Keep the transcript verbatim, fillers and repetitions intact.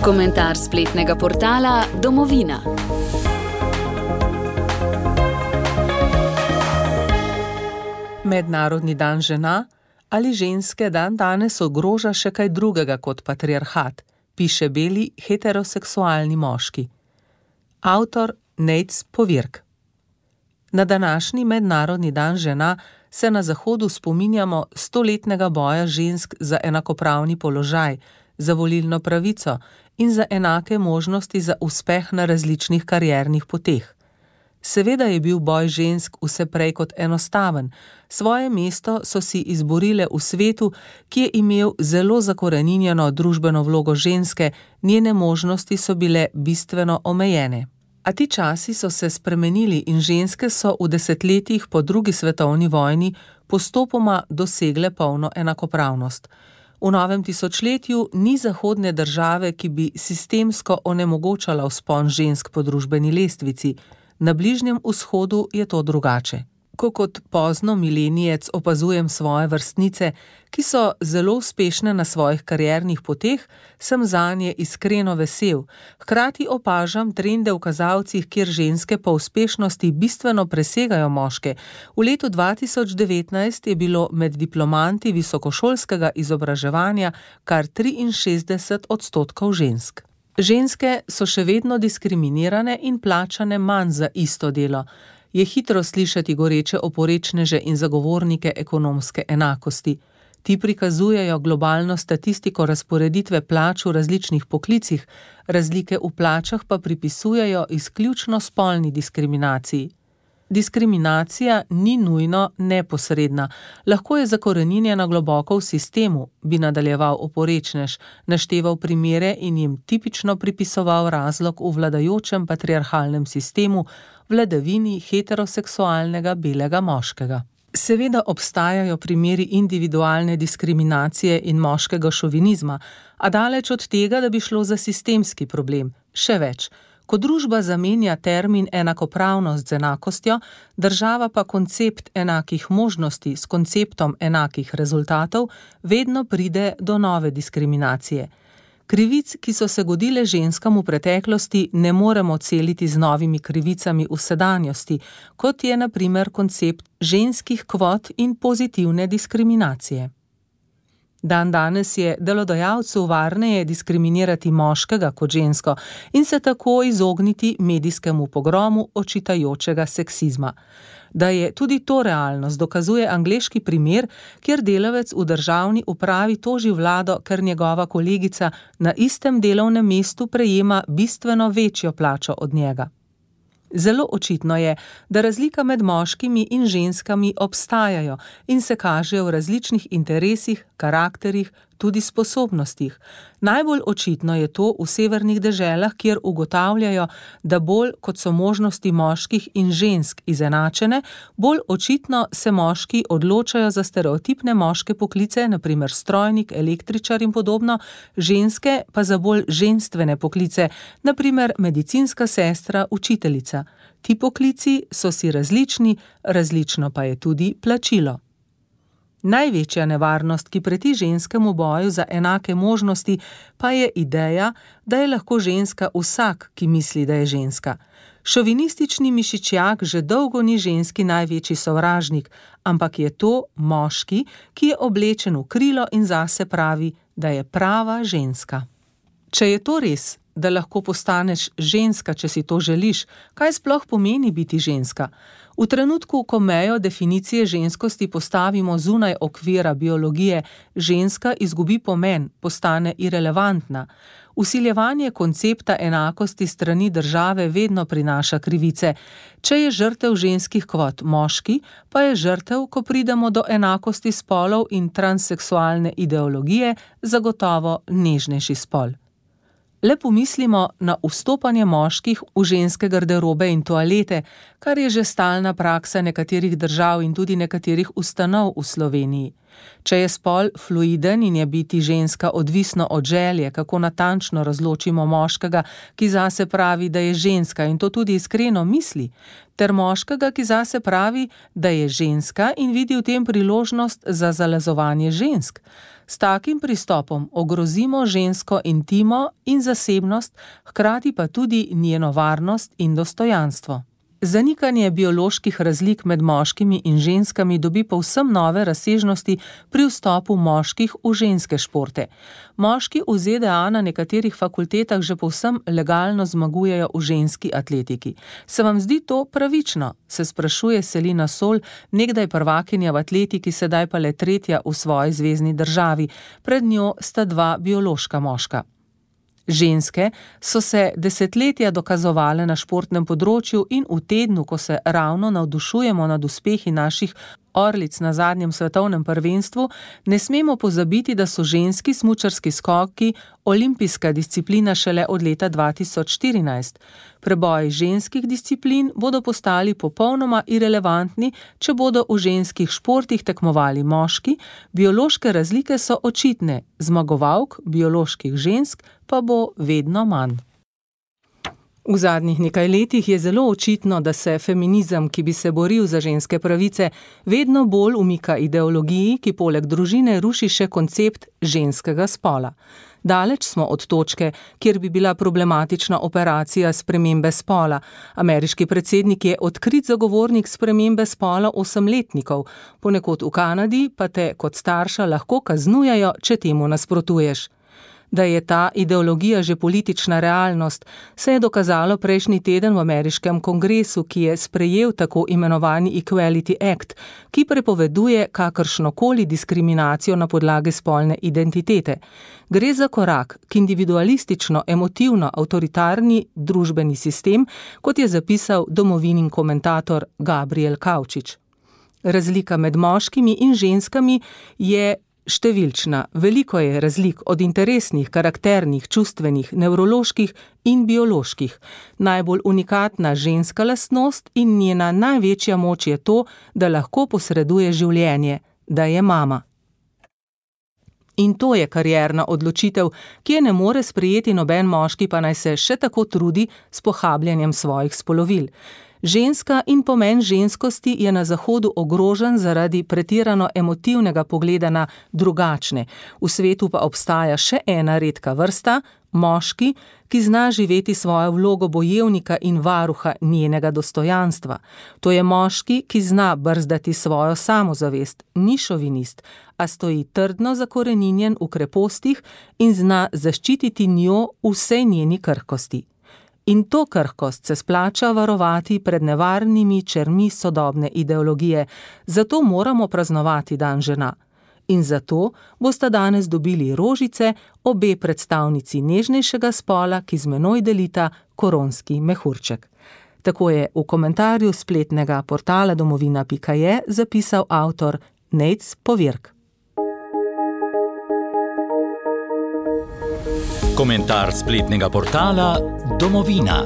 Komentar spletnega portala Domovina. Mednarodni dan žena ali ženske dan danes ogroža še kaj drugega kot patriarhat, piše beli heteroseksualni moški. Avtor Nejc Povirk. Na današnji mednarodni dan žena se na Zahodu spominjamo stoletnega boja žensk za enakopravni položaj, za volilno pravico in za enake možnosti za uspeh na različnih kariernih poteh. Seveda je bil boj žensk vse prej kot enostaven, svoje mesto so si izborile v svetu, ki je imel zelo zakoreninjeno družbeno vlogo ženske, njene možnosti so bile bistveno omejene. A ti časi so se spremenili in ženske so v desetletjih po drugi svetovni vojni postopoma dosegle polno enakopravnost. V novem tisočletju ni zahodne države, ki bi sistemsko onemogočala vzpon žensk po družbeni lestvici. Na Bližnjem vzhodu je to drugače. Ko kot pozno milenijec opazujem svoje vrstnice, ki so zelo uspešne na svojih kariernih poteh, sem zanje iskreno vesel. Hkrati opažam trende v kazalcih, kjer ženske po uspešnosti bistveno presegajo moške. V letu dva tisoč devetnajst je bilo med diplomanti visokošolskega izobraževanja kar triinšestdeset odstotkov žensk. Ženske so še vedno diskriminirane in plačane manj za isto delo. Je hitro slišati goreče oporečneže in zagovornike ekonomske enakosti. Ti prikazujejo globalno statistiko razporeditve plač v različnih poklicih, razlike v plačah pa pripisujejo izključno spolni diskriminaciji. Diskriminacija ni nujno neposredna, lahko je zakoreninjena globoko v sistemu, bi nadaljeval oporečnež, našteval primere in jim tipično pripisoval razlog v vladajočem patriarhalnem sistemu, vladavini heteroseksualnega belega moškega. Seveda obstajajo primeri individualne diskriminacije in moškega šovinizma, a daleč od tega, da bi šlo za sistemski problem. Še več. Ko družba zamenja termin enakopravnost z enakostjo, država pa koncept enakih možnosti s konceptom enakih rezultatov, vedno pride do nove diskriminacije. Krivic, ki so se godile ženskam v preteklosti, ne moremo celiti z novimi krivicami v sedanjosti, kot je na primer koncept ženskih kvot in pozitivne diskriminacije. Dan danes je delodajalcu varneje diskriminirati moškega kot žensko in se tako izogniti medijskemu pogromu očitajočega seksizma. Da je tudi to realnost, dokazuje angleški primer, kjer delavec v državni upravi toži vlado, ker njegova kolegica na istem delovnem mestu prejema bistveno večjo plačo od njega. Zelo očitno je, da razlika med moškimi in ženskami obstajajo in se kažejo v različnih interesih, karakterih, tudi sposobnostih. Najbolj očitno je to v severnih deželah, kjer ugotavljajo, da bolj kot so možnosti moških in žensk izenačene, bolj očitno se moški odločajo za stereotipne moške poklice, na primer strojnik, električar in podobno, ženske pa za bolj ženstvene poklice, na primer medicinska sestra, učiteljica. Ti poklici so si različni, različno pa je tudi plačilo. Največja nevarnost, ki preti ženskemu boju za enake možnosti, pa je ideja, da je lahko ženska vsak, ki misli, da je ženska. Šovinistični mišičjak že dolgo ni ženski največji sovražnik, ampak je to moški, ki je oblečen v krilo in zase pravi, da je prava ženska. Če je to res, da lahko postaneš ženska, če si to želiš, kaj sploh pomeni biti ženska? V trenutku, ko mejo definicije ženskosti postavimo zunaj okvira biologije, ženska izgubi pomen, postane irelevantna. Vsiljevanje koncepta enakosti strani države vedno prinaša krivice. Če je žrtev ženskih kvot moški, pa je žrtev, ko pridemo do enakosti spolov in transseksualne ideologije, zagotovo nežnejši spol. Le pomislimo na vstopanje moških v ženske garderobe in toalete, kar je že stalna praksa nekaterih držav in tudi nekaterih ustanov v Sloveniji. Če je spol fluiden in je biti ženska odvisno od želje, kako natančno razločimo moškega, ki zase pravi, da je ženska in to tudi iskreno misli, ter moškega, ki zase pravi, da je ženska in vidi v tem priložnost za zalezovanje žensk. S takim pristopom ogrozimo žensko intimo in zasebnost, hkrati pa tudi njeno varnost in dostojanstvo. Zanikanje bioloških razlik med moškimi in ženskami dobi povsem nove razsežnosti pri vstopu moških v ženske športe. Moški v Z D A na nekaterih fakultetah že povsem legalno zmagujejo v ženski atletiki. Se vam zdi to pravično? Se sprašuje Selina Sol, nekdaj prvakinja v atletiki, sedaj pa le tretja v svoji zvezni državi. Pred njo sta dva biološka moška. Ženske so se desetletja dokazovale na športnem področju in v tednu, ko se ravno navdušujemo nad uspehi naših orlic na zadnjem svetovnem prvenstvu, ne smemo pozabiti, da so ženski smučarski skoki olimpijska disciplina šele od leta dva tisoč štirinajst. Preboji ženskih disciplin bodo postali popolnoma irelevantni, če bodo v ženskih športih tekmovali moški, biološke razlike so očitne, zmagovalk bioloških žensk pa bo vedno manj. V zadnjih nekaj letih je zelo očitno, da se feminizem, ki bi se boril za ženske pravice, vedno bolj umika ideologiji, ki poleg družine ruši še koncept ženskega spola. Daleč smo od točke, kjer bi bila problematična operacija spremembe spola. Ameriški predsednik je odkrit zagovornik spremembe spola osemletnikov, ponekod v Kanadi pa te kot starša lahko kaznujejo, če temu nasprotuješ. Da je ta ideologija že politična realnost, se je dokazalo prejšnji teden v ameriškem kongresu, ki je sprejel tako imenovani Equality Act, ki prepoveduje kakršnokoli diskriminacijo na podlagi spolne identitete. Gre za korak k individualistično, emotivno, avtoritarni družbeni sistem, kot je zapisal Domovinin komentator Gabriel Kavčič. Razlika med moškimi in ženskami je številčna, veliko je razlik od interesnih, karakternih, čustvenih, nevroloških in bioloških. Najbolj unikatna ženska lastnost in njena največja moč je to, da lahko posreduje življenje, da je mama. In to je karierna odločitev, ki je ne more sprejeti noben moški, pa naj se še tako trudi s pohabljanjem svojih spolovil. Ženska in pomen ženskosti je na Zahodu ogrožen zaradi pretirano emotivnega pogleda na drugačne. V svetu pa obstaja še ena redka vrsta, moški, ki zna živeti svojo vlogo bojevnika in varuha njenega dostojanstva. To je moški, ki zna brzdati svojo samozavest, ni šovinist, a stoji trdno zakoreninjen v krepostih in zna zaščititi njo vsej njeni krhkosti. In to krhkost se splača varovati pred nevarnimi čermi sodobne ideologije, zato moramo praznovati dan žena. In zato bosta danes dobili rožice obe predstavnici nežnejšega spola, ki z menoj delita koronski mehurček. Tako je v komentarju spletnega portala domovina pika je zapisal avtor Nejc Povirk. Komentar spletnega portala Domovina.